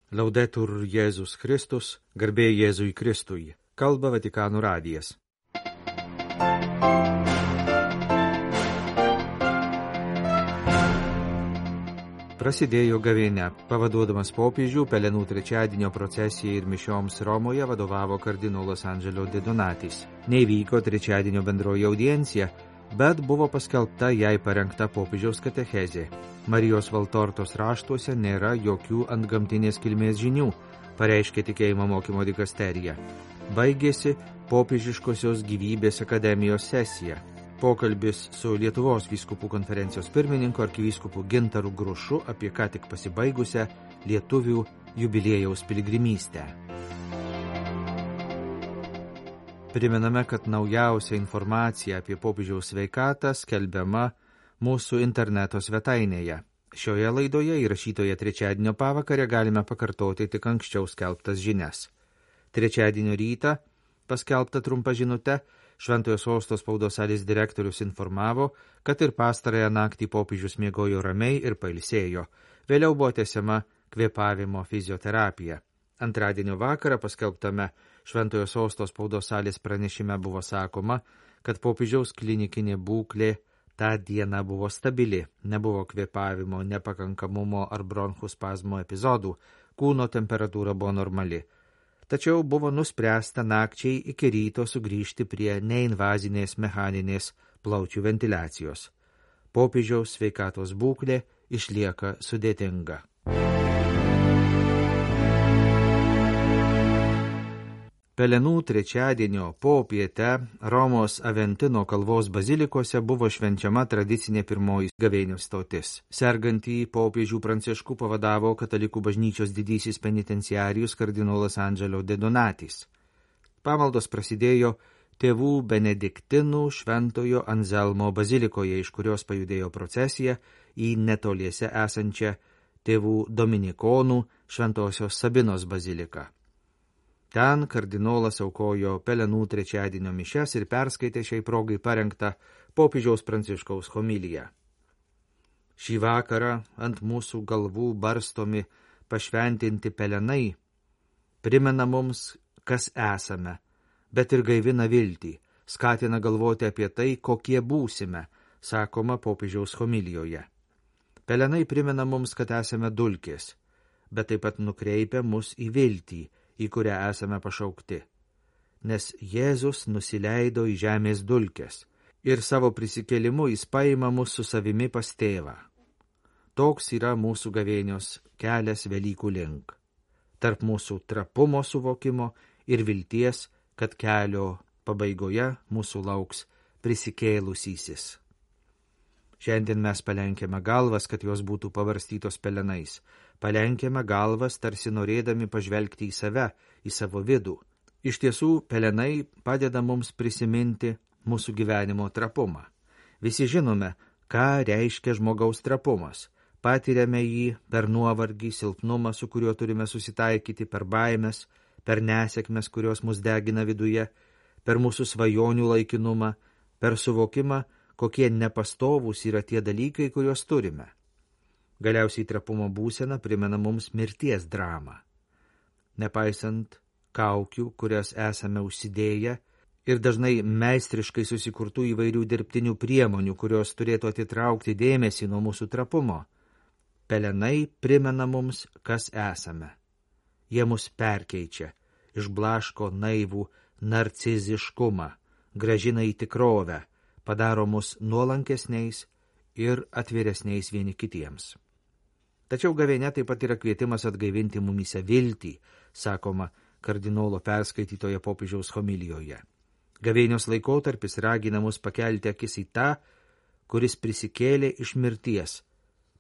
Laudetur Jėzus Kristus, garbė Jėzui Kristui, kalba Vatikano radijas. Prasidėjo gavėnia. Pavaduodamas popiežių, Pelenų trečiadienio procesijai ir mišioms Romoje vadovavo kardinolas Angelo de Donatis. Neįvyko trečiadienio bendroji audiencija, bet buvo paskelbta jai parengta popiežiaus katechezė. Marijos Valtortos raštuose nėra jokių antgamtinės kilmės žinių, pareiškė tikėjimo mokymo dikasterija. Baigėsi popiežiškosios gyvybės akademijos sesija. Pokalbis su Lietuvos vyskupų konferencijos pirmininku arkivyskupu Gintaru Grušu apie ką tik pasibaigusią lietuvių jubiliejaus piligrimystę. Primename, kad naujausia informacija apie popiežiaus sveikatą skelbiama mūsų interneto svetainėje. Šioje laidoje įrašytoje trečiadienio pavakarę galime pakartoti tik anksčiau skelbtas žinias. Trečiadienio rytą paskelbta trumpa žinute Šventojo Sosto spaudos salės direktorius informavo, kad ir pastarąją naktį popiežius miegojo ramiai ir pailsėjo. Vėliau buvo tęsiama kvėpavimo fizioterapija. Antradienio vakarą paskelbtame Šventojo Sosto spaudos salės pranešime buvo sakoma, kad popiežiaus klinikinė būklė tą dieną buvo stabili, nebuvo kvėpavimo, nepakankamumo ar bronchų spazmo epizodų, kūno temperatūra buvo normali. Tačiau buvo nuspręsta nakčiai iki ryto sugrįžti prie neinvazinės mechaninės plaučių ventiliacijos. Popiežiaus sveikatos būklė išlieka sudėtinga. Pelenų trečiadienio popietę Romos Aventino kalvos bazilikose buvo švenčiama tradicinė pirmoji gavėnios stotis. Sergantį popiežių Pranciškų pavadavo katalikų bažnyčios didysis penitenciarijus kardinolas Angelo de Donatis. Pamaldos prasidėjo tėvų benediktinų Šventojo Anzelmo bazilikoje, iš kurios pajudėjo procesija į netoliese esančią tėvų dominikonų Šventosios Sabinos baziliką. Ten kardinolas aukojo Pelenų trečiadienio mišias ir perskaitė šiai progai parengtą popiežiaus Pranciškaus homiliją. Šį vakarą ant mūsų galvų barstomi pašventinti pelenai primena mums, kas esame, bet ir gaivina viltį, skatina galvoti apie tai, kokie būsime, sakoma popiežiaus homilijoje. Pelenai primena mums, kad esame dulkės, bet taip pat nukreipia mus į viltį, į kurią esame pašaukti. Nes Jėzus nusileido į žemės dulkes ir savo prisikėlimu jis paima mus su savimi pas tėvą. Toks yra mūsų gavėnios kelias Velykų link. Tarp mūsų trapumo suvokimo ir vilties, kad kelio pabaigoje mūsų lauks prisikėlusysis. Šiandien mes palenkėme galvas, kad jos būtų pavarstytos pelenais. Palenkėme galvas, tarsi norėdami pažvelgti į save, į savo vidų. Iš tiesų, pelenai padeda mums prisiminti mūsų gyvenimo trapumą. Visi žinome, ką reiškia žmogaus trapumas. Patiriame jį per nuovargį, silpnumą, su kuriuo turime susitaikyti, per baimės, per nesėkmes, kurios mus degina viduje, per mūsų svajonių laikinumą, per suvokimą, kokie nepastovūs yra tie dalykai, kuriuos turime. Galiausiai trapumo būsena primena mums mirties dramą. Nepaisant kaukių, kurias esame užsidėję, ir dažnai meistriškai susikurtų įvairių dirbtinių priemonių, kurios turėtų atitraukti dėmesį nuo mūsų trapumo, pelenai primena mums, kas esame. Jie mus perkeičia, išblaško naivų narciziškumą, grąžina į tikrovę, padaro mus nuolankesniais ir atviresniais vieni kitiems. Tačiau gavėnia taip pat yra kvietimas atgaivinti mumyse viltį, sakoma kardinolo perskaitytoje popiežiaus homilijoje. Gavėnios laikotarpis ragina mus pakelti akis į tą, kuris prisikėlė iš mirties,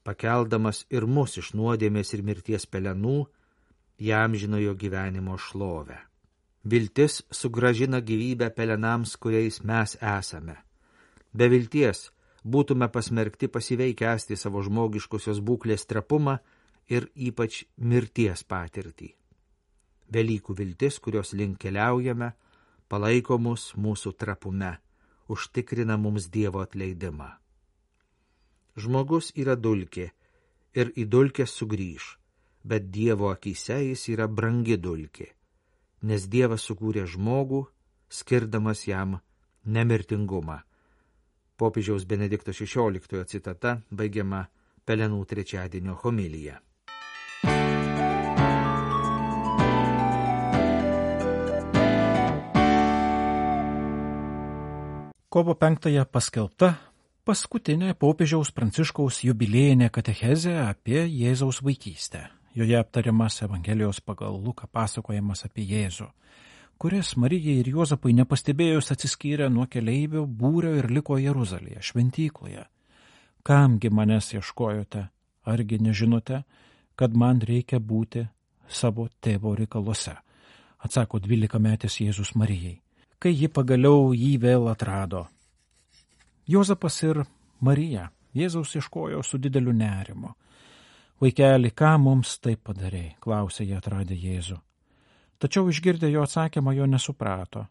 pakeldamas ir mus iš nuodėmės ir mirties pelenų, įamžinojo gyvenimo šlovę. Viltis sugrąžina gyvybę pelenams, kuriais mes esame. Be vilties būtume pasmerkti pasyviai kęsti savo žmogiškosios būklės trapumą ir ypač mirties patirtį. Velykų viltis, kurios link keliaujame, palaiko mus mūsų trapume, užtikrina mums Dievo atleidimą. Žmogus yra dulkė ir į dulkės sugrįž. bet Dievo akyse jis yra brangi dulkė, nes Dievas sukūrė žmogų, skirdamas jam nemirtingumą. Popiežiaus Benedikto XVI citata baigiama Pelenų trečiadienio homilija. Kovo 5 paskelbta paskutinė popiežiaus Pranciškaus jubiliejinė katechezė apie Jėzaus vaikystę. Joje aptariamas Evangelijos pagal Luką pasakojimas apie Jėzų, kuris Marijai ir Juozapui nepastebėjus atsiskyrė nuo keleivių būrio ir liko Jeruzalėje, šventykloje. Kamgi manęs ieškojote, argi nežinote, kad man reikia būti savo tėvo reikaluose, atsako 12-metis Jėzus Marijai, kai ji pagaliau jį vėl atrado. Juozapas ir Marija Jėzaus ieškojo su dideliu nerimu. Vaikeli, ką mums taip padarei, klausė jie atradę Jėzų. Tačiau išgirdę jo atsakymą jo nesuprato.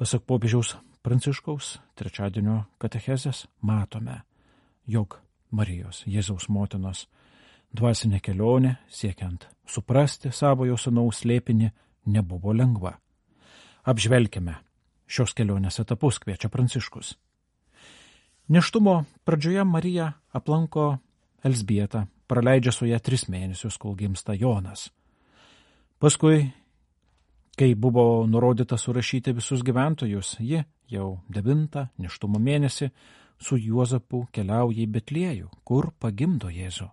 Pasak popiežiaus Pranciškaus trečiadienio katechezės matome, jog Marijos, Jėzaus motinos, dvasinė kelionė, siekiant suprasti savojo sūnaus slėpinį, nebuvo lengva. Apžvelkime šios kelionės etapus, kviečia Pranciškus. Nėštumo pradžioje Marija aplanko Elzbietą, praleidžia su ją 3 mėnesius, kol gimsta Jonas. Paskui, kai buvo nurodyta surašyti visus gyventojus, ji jau 9 nėštumo mėnesį su Juozapu keliauja į Betliejų, kur pagimdo Jėzų.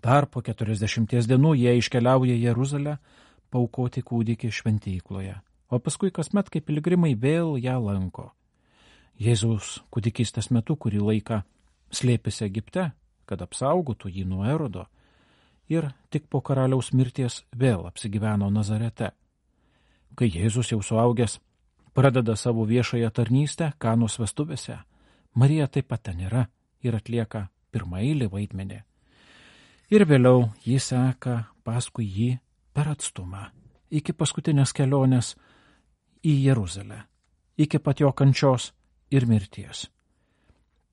Dar po 40 dienų jie iškeliauja į Jeruzalę paaukoti kūdikį šventykloje, o paskui kasmet kaip piligrimai vėl ją lanko. Jėzaus kūdikystės metu kurį laiką slėpėsi Egipte, kad apsaugotų jį nuo Erodo, ir tik po karaliaus mirties vėl apsigyveno Nazarete. Kai Jėzus jau suaugęs pradeda savo viešąją tarnystę Kanos vestuvėse, Marija taip pat ten yra ir atlieka pirmaeilį vaidmenį. Ir vėliau ji seka paskui jį per atstumą, iki paskutinės kelionės į Jeruzalę, iki pat jo kančios ir mirties.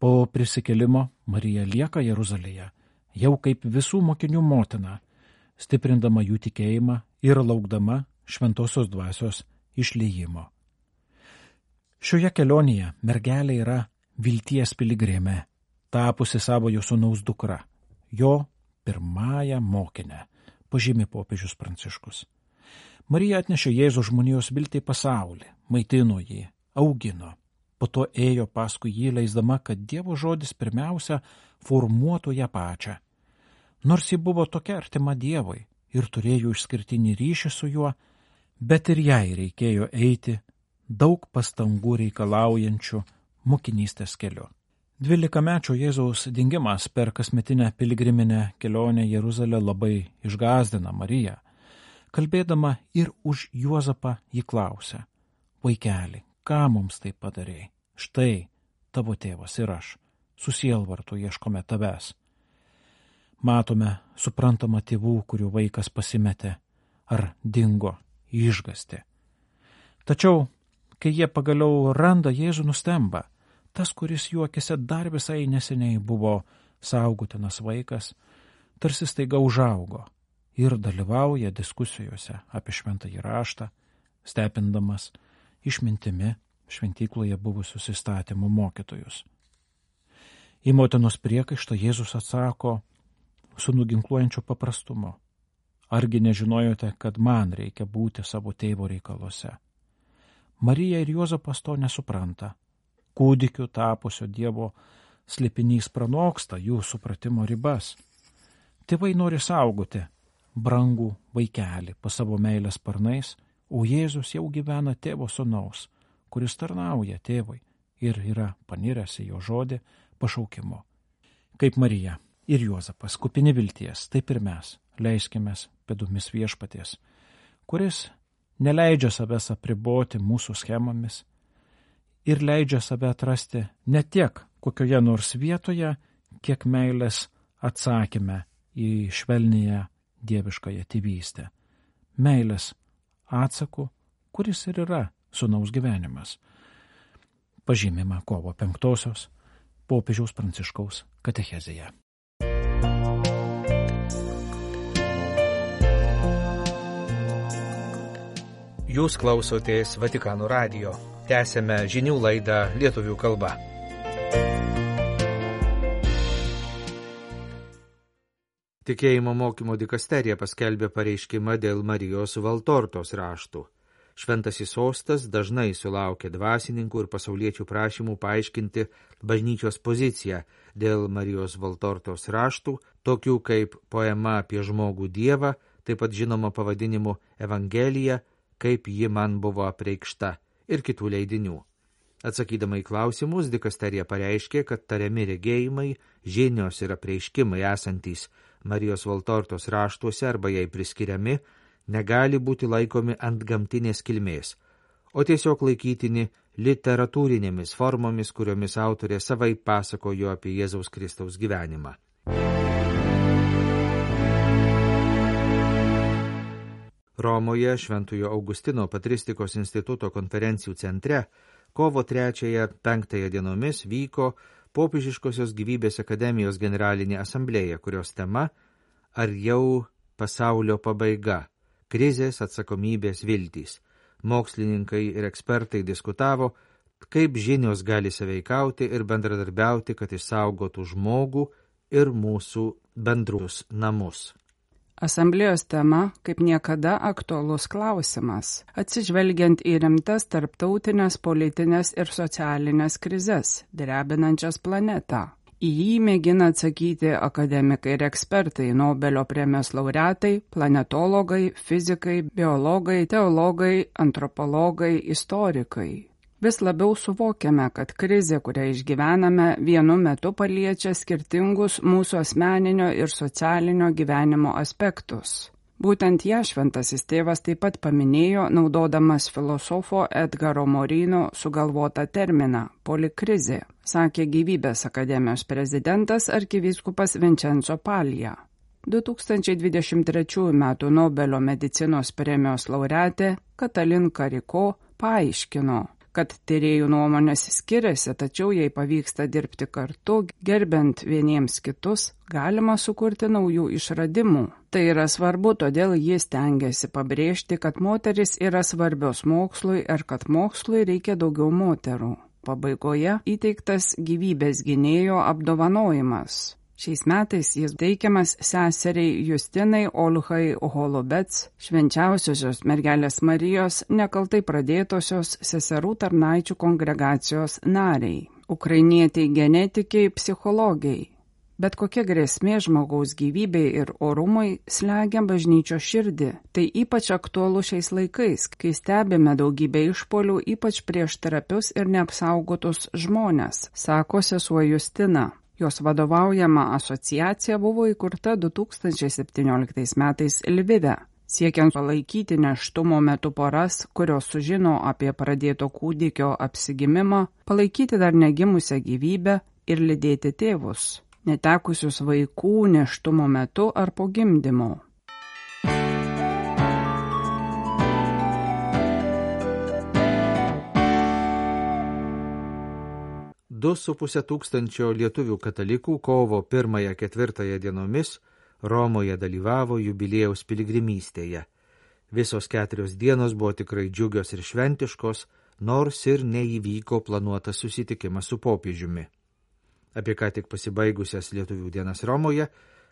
Po prisikėlimo Marija lieka Jeruzalėje, jau kaip visų mokinių motina, stiprindama jų tikėjimą ir laukdama šventosios dvasios išliejimo. Šioje kelionėje mergelė yra vilties piligrimė, tapusi savojo sūnaus dukra, jo pirmąją mokinę, pažymi popiežius Pranciškus. Marija atnešė Jėzų žmonijos viltį į pasaulį, maitino jį, augino. Po to ėjo paskui jį, leisdama, kad Dievo žodis pirmiausia formuotų ją pačią. Nors ji buvo tokia artima Dievui ir turėjo išskirtinį ryšį su juo, bet ir jai reikėjo eiti daug pastangų reikalaujančių mokinystės keliu. 12-mečio Jėzaus dingimas per kasmetinę piligriminę kelionę Jeruzalę labai išgąsdina Mariją. Kalbėdama ir už Juozapą ji klausia: vaikeli, ką mums taip padarei? Štai tavo tėvas ir aš, su sielvartu ieškome tavęs. Matome suprantamą tėvų, kurių vaikas pasimetė ar dingo išgąsti. Tačiau, kai jie pagaliau randa Jėzų, nustemba. Tas, kuris jų akise dar visai neseniai buvo saugotinas vaikas, tarsi staiga užaugo ir dalyvauja diskusijose apie šventąjį raštą, stebindamas išmintimi šventykloje buvusius įstatymų mokytojus. Į motinos priekaištą Jėzus atsako su nuginkluojančiu paprastumu: argi nežinojote, kad man reikia būti savo tėvo reikaluose? Marija ir Juozapas to nesupranta. Kūdikiu tapusio Dievo slėpinys pranoksta jų supratimo ribas. Tėvai nori saugoti brangų vaikelį po savo meilės sparnais, o Jėzus jau gyvena tėvo sūnaus, kuris tarnauja tėvui ir yra paniręs į jo žodį pašaukimu. Kaip Marija ir Juozapas kupini vilties, taip ir mes leiskimės pėdomis viešpaties, kuris neleidžia savęs apriboti mūsų schemomis ir leidžia save atrasti ne tiek kokioje nors vietoje, kiek meilės atsakyme į švelnėje dieviškąją tėvystę. Meilės atsaku, kuris ir yra sūnaus gyvenimas. Pažymima kovo 5 popiežiaus Pranciškaus katechezėje. Jūs klausotės Vatikano radijo. Tęsėme žinių laidą lietuvių kalba. Tikėjimo mokymo dikasterija paskelbė pareiškimą dėl Marijos Valtortos raštų. Šventasis sostas dažnai sulaukia dvasininkų ir pasauliečių prašymų paaiškinti bažnyčios poziciją dėl Marijos Valtortos raštų, tokių kaip poema apie žmogų Dievą, taip pat žinoma pavadinimu Evangelija, kaip ji man buvo apreikšta, ir kitų leidinių. Atsakydama į klausimus, dikasterija pareiškė, kad tariami regėjimai, žinios ir apreiškimai esantys Marijos Valtortos raštuose arba jai priskiriami, negali būti laikomi antgamtinės kilmės, o tiesiog laikytini literatūrinėmis formomis, kuriomis autorė savai pasakojo apie Jėzaus Kristaus gyvenimą. Romoje Šventojo Augustino patristikos instituto konferencijų centre kovo 3-5 dienomis vyko Popiežiškosios gyvybės akademijos generalinė asamblėja, kurios tema Ar jau pasaulio pabaiga? Krizės, atsakomybės, viltys. Mokslininkai ir ekspertai diskutavo, kaip žinios gali sąveikauti ir bendradarbiauti, kad išsaugotų žmogų ir mūsų bendrus namus. Asamblėjos tema kaip niekada aktualus klausimas, atsižvelgiant į rimtas tarptautinės politinės ir socialinės krizes, drebinančias planetą. Į jį mėgina atsakyti akademikai ir ekspertai, Nobelio premijos laureatai, planetologai, fizikai, biologai, teologai, antropologai, istorikai. Vis labiau suvokiame, kad krizė, kurią išgyvename, vienu metu paliečia skirtingus mūsų asmeninio ir socialinio gyvenimo aspektus. Būtent ją šventasis tėvas taip pat paminėjo, naudodamas filosofo Edgaro Morino sugalvotą terminą – polikrizė, sakė Gyvybės akademijos prezidentas arkivyskupas Vincenzo Palija. 2023 m. Nobelio medicinos premijos laureatė Katalin Kariko paaiškino, kad tyrėjų nuomonės skiriasi, tačiau jei pavyksta dirbti kartu, gerbent vieniems kitus, galima sukurti naujų išradimų. Tai yra svarbu, todėl jis stengiasi pabrėžti, kad moteris yra svarbios mokslui ir kad mokslui reikia daugiau moterų. Pabaigoje įteiktas gyvybės gynėjo apdovanojimas. Šiais metais jis teikiamas seseriai Justinai Olhai Holubets, švenčiausiosios mergelės Marijos nekaltai pradėtosios seserų tarnaičių kongregacijos nariai, ukrainietiai genetikiai, psichologiai. Bet kokia grėsmė žmogaus gyvybei ir orumui slegia bažnyčios širdį. Tai ypač aktualu šiais laikais, kai stebime daugybę išpuolių, ypač prieš trapius ir neapsaugotus žmones, sako sesuo Justina. Jos vadovaujama asociacija buvo įkurta 2017 metais Lvive, siekiant palaikyti nėštumo metu poras, kurios sužino apie pradėto kūdikio apsigimimą, palaikyti dar negimusią gyvybę ir lydėti tėvus, netekusius vaikų nėštumo metu ar po gimdymo. 2,5 tūkstančio lietuvių katalikų kovo 1-4 dienomis Romoje dalyvavo jubiliejaus piligrimystėje. Visos 4 dienos buvo tikrai džiugios ir šventiškos, nors ir neįvyko planuotas susitikimas su popiežiumi. Apie ką tik pasibaigusias lietuvių dienas Romoje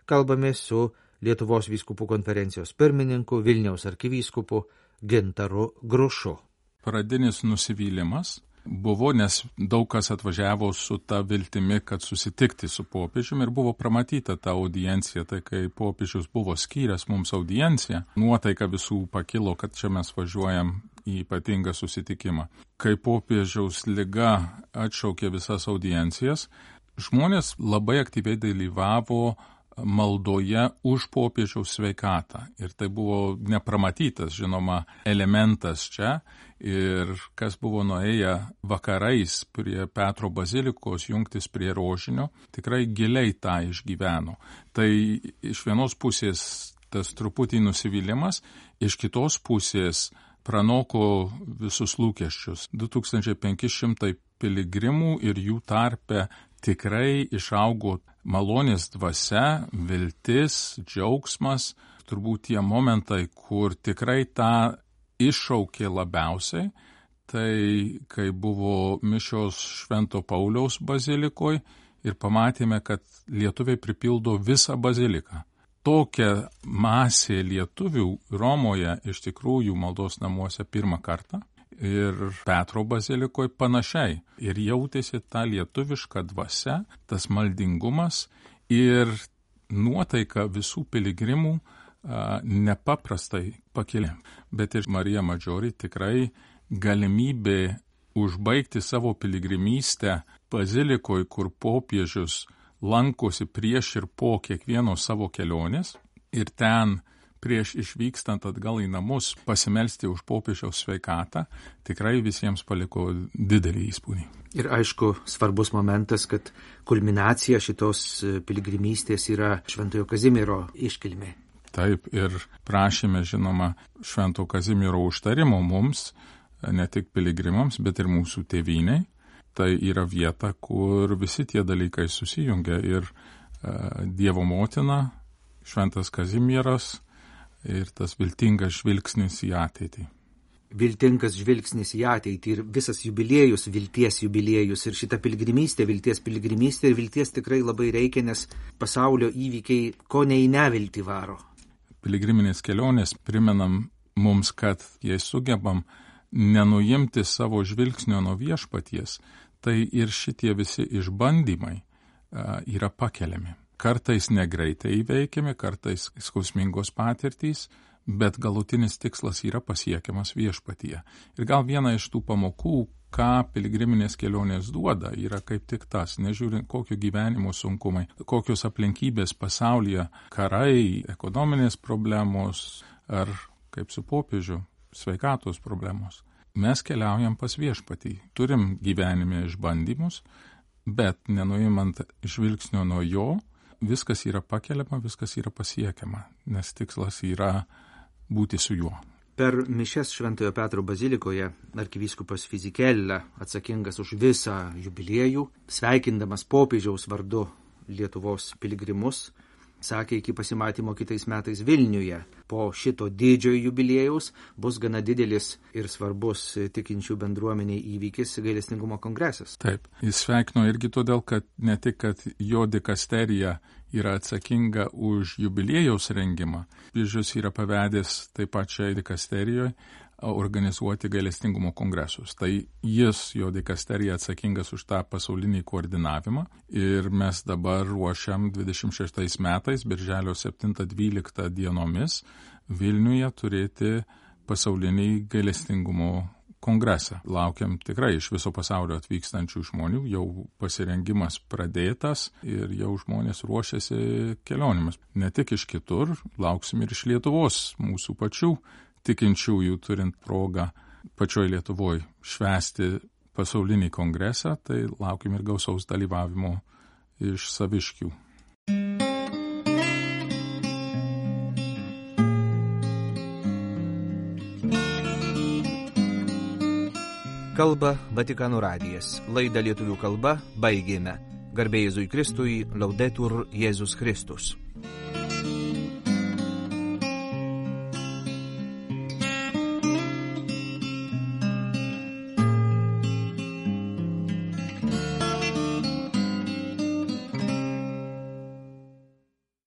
kalbame su Lietuvos vyskupų konferencijos pirmininku Vilniaus arkivyskupu Gintaru Grušu. Pradinis nusivylimas buvo, nes daug kas atvažiavo su ta viltimi, kad susitikti su popiežiumi ir buvo pramatyta ta audiencija, tai kai popiežius buvo skyręs mums audienciją, nuotaika visų pakilo, kad čia mes važiuojam į ypatingą susitikimą. Kai popiežiaus liga atšaukė visas audiencijas, žmonės labai aktyviai dalyvavo maldoje už popiežiaus sveikatą. Ir tai buvo nepramatytas, žinoma, elementas čia. Ir kas buvo nuėję vakarais prie Petro bazilikos jungtis prie rožinio, tikrai giliai tą išgyveno. Tai iš vienos pusės tas truputį nusivylimas, iš kitos pusės pranoko visus lūkesčius. 2500 piligrimų ir jų tarpe tikrai išaugo malonės dvasia, viltis, džiaugsmas, turbūt tie momentai, kur tikrai tą iššaukė labiausiai, tai kai buvo mišios Švento Pauliaus bazilikoje ir pamatėme, kad lietuviai pripildo visą baziliką. Tokia masė lietuvių Romoje iš tikrųjų maldos namuose pirmą kartą ir Petro bazilikoje panašiai. Ir jautėsi ta lietuviška dvasia, tas maldingumas ir nuotaika visų piligrimų nepaprastai pakilė. Bet ir Marija Maggiore tikrai galimybė užbaigti savo piligrimystę bazilikoje, kur popiežius lankosi prieš ir po kiekvienos savo kelionės ir ten prieš išvykstant atgal į namus pasimelsti už popiežiaus sveikatą, tikrai visiems paliko didelį įspūdį. Ir aišku, svarbus momentas, kad kulminacija šitos piligrimystės yra Šventojo Kazimiero iškilmė. Taip, ir prašėme, žinoma, Švento Kazimiero užtarimo mums, ne tik piligrimams, bet ir mūsų tėvynei. Tai yra vieta, kur visi tie dalykai susijungia ir Dievo motina, Šventas Kazimieras ir tas viltingas žvilgsnis į ateitį. Viltingas žvilgsnis į ateitį ir visas jubiliejus, vilties jubiliejus ir šita piligrimystė, vilties piligrimystė ir vilties tikrai labai reikia, nes pasaulio įvykiai ko ne į neviltį varo. Piligriminės kelionės primenam mums, kad jei sugebam nenuimti savo žvilgsnio nuo viešpaties, tai ir šitie visi išbandymai yra pakeliami. Kartais negreitai įveikiami, kartais skausmingos patirtys, bet galutinis tikslas yra pasiekiamas viešpatyje. Ir gal viena iš tų pamokų, ką piligriminės kelionės duoda, yra kaip tik tas, nežiūrint kokio gyvenimo sunkumai, kokios aplinkybės pasaulyje, karai, ekonominės problemos ar, kaip su popiežiu, sveikatos problemos. Mes keliaujam pas viešpatį, turim gyvenime išbandymus, bet nenuimant žvilgsnio nuo jo, viskas yra pakeliama, viskas yra pasiekiama, nes tikslas yra būti su juo. Per mišias Šventojo Petro bazilikoje arkivyskupas Fizikella, atsakingas už visą jubiliejų, sveikindamas popiežiaus vardu Lietuvos piligrimus, sakė iki pasimatymo kitais metais Vilniuje. Po šito didžiojo jubiliejaus bus gana didelis ir svarbus tikinčių bendruomeniai įvykis gailestingumo kongresas. Taip, jis sveikino irgi todėl, kad ne tik, kad jo dikasterija yra atsakinga už jubiliejaus rengimą, popiežius yra pavedęs taip pat šiai dikasterijoje organizuoti gailestingumo kongresus. Tai jis, jo dikasterija, atsakingas už tą pasaulinį koordinavimą ir mes dabar ruošiam 26 metais, birželio 7-12 dienomis, Vilniuje turėti pasaulinį gailestingumo kongresą. Laukiam tikrai iš viso pasaulio atvykstančių žmonių, jau pasirengimas pradėtas ir jau žmonės ruošiasi kelionėmis. Ne tik iš kitur, lauksim ir iš Lietuvos, mūsų pačių tikinčiųjų turint progą pačioj Lietuvoje švęsti pasaulinį kongresą, tai laukim ir gausaus dalyvavimo iš saviškių. Kalba Vatikano radijas. Laidą lietuvių kalba baigėme. Garbė Jėzui Kristui, Laudetur Jėzus Kristus.